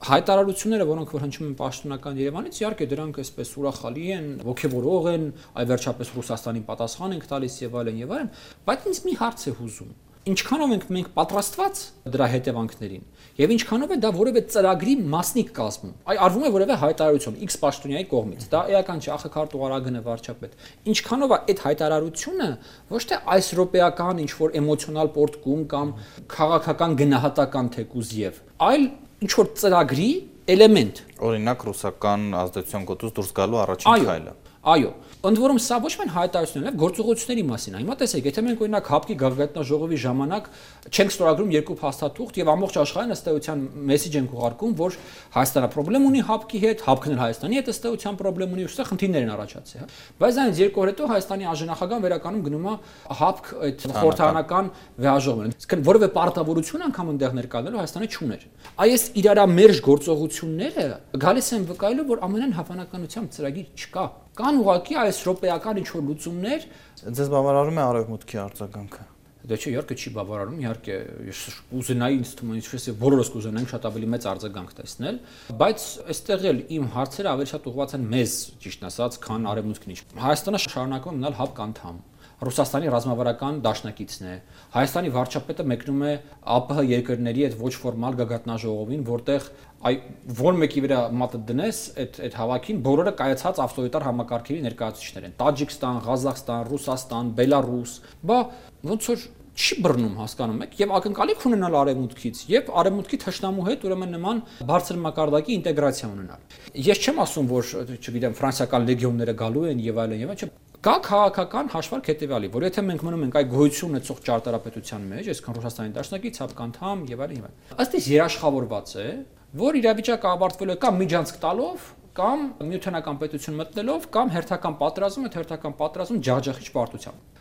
Հայտարարությունները, որոնք որ հնչում են պաշտոնական Երևանից, իհարկե դրանք այսպես ուրախալի են, ոգևորող են, այ վերջապես Ռուսաստանին պատասխան ենք տալիս եւ այլն, բայց ինձ մի հարց է հուզում. ինչքանով ենք մենք պատրաստված դրա հետևանքներին եւ ինչքանով է դա որևէ ծրագրի մասնիկ կազմում։ Այ արվում է որևէ հայտարարություն X պաշտոնյայի կողմից։ Դա էական չէ, ԱԽԿ տողարագն է վարչապետ։ Ինչքանով է այդ հայտարարությունը ոչ թե այս ռոպեական ինչ որ էմոցիոնալ պորտկում կամ քաղաքական գնահատական թեկուզ եւ, այլ ինչ որ ծրագրի էլեմենտ։ Օրինակ ռուսական ազդեցության գոտուց դուրս գալու առաջին քայլը։ Այո, ընդ որում սա ոչ միայն հայտարարություններ են, գործողությունների մասին։ Հիմա տեսեք, եթե մենք օրինակ ՀԱՊԿ-ի գագաթնաժողովի ժամանակ չենք ստորագրում երկու փաստաթուղթ եւ ամբողջ աշխարհին ըստ էության մեսեջ ենք ուղարկում, որ Հայաստանը խնդրեմ ունի ՀԱՊԿ-ի հետ, ՀԱՊԿ-ն էլ Հայաստանի հետ ըստ էության խնդրեմ ունի, ուստի խնդիրներ են առաջացել, հա։ Բայց այնց երկու օր հետո Հայաստանի արժանախագահան վերականում գնում է ՀԱՊԿ այդ խորհրդարանական վեհաժողովին։ Իսկ որևէ պարտավորություն անգամ այնտեղ ներկայացնելու Հայաստանը չուներ։ Այս իրարամերժ գործողությունները գալիս են վկայելու, որ ամենայն հավանականությամբ ծրագիր չկա։ Կան ուղղակի այս ռոպեական ինչ-որ լուծումներ։ Ձեզ բավարարում է Արևմուտքի արձագանքը։ Դա չէ, իհարկե չի բավարարում, իհարկե ես կուզենայի ինձ թվում է ինչպես է բոլորս կուզենայինք շատ ավելի մեծ արձագանք տեսնել, բայց այստեղ էլ իմ հարցերը ավելի շատ ուղղված են մեզ, ճիշտ ասած, քան Արևմուտքին։ Հայաստանը շարունակում է մնալ ՀԱՊԿ անդամ։ Ռուսաստանի ռազմավարական դաշնակիցն է։ Հայաստանի վարչապետը մեկնում է ԱՊՀ երկրների այդ ոչ ֆորմալ գագաթնաժողովին, որտեղ որ մեկի վրա մատը դնես այդ հավաքին բոլորը կայացած ավտորիտար համակարգերի ներկայացուցիչներ են։ Տաջիկստան, Ղազախստան, Ռուսաստան, Բելարուս, բա ոնց որ չի բռնում հասկանում եք եւ ակնկալիք ունենալ արևմուտքից եւ արևմուտքի թշնամու հետ ուրեմն նման բարձր մակարդակի ինտեգրացիա ունենալ։ Ես չեմ ասում, որ չգիտեմ ֆրանսիական լեգիոնները գալու են եւ այլն, չէ։ Կա քաղաքական հաշվարկ հետեւյալի, որ եթե մենք մնում ենք այ գոյություն ունեցող ճարտարապետության մեջ, այսքան Ռուսաստանի դաշնակից, ՀԱՊԿ անդամ եւ այլն, ըստ իս երաշխավորված է, որ իրավիճակը ավարտվելու է կամ միջանցք տալով, կամ նյութանական պետություն մտնելով, կամ հերթական պատերազմ ջախջախիչ պարտությամբ։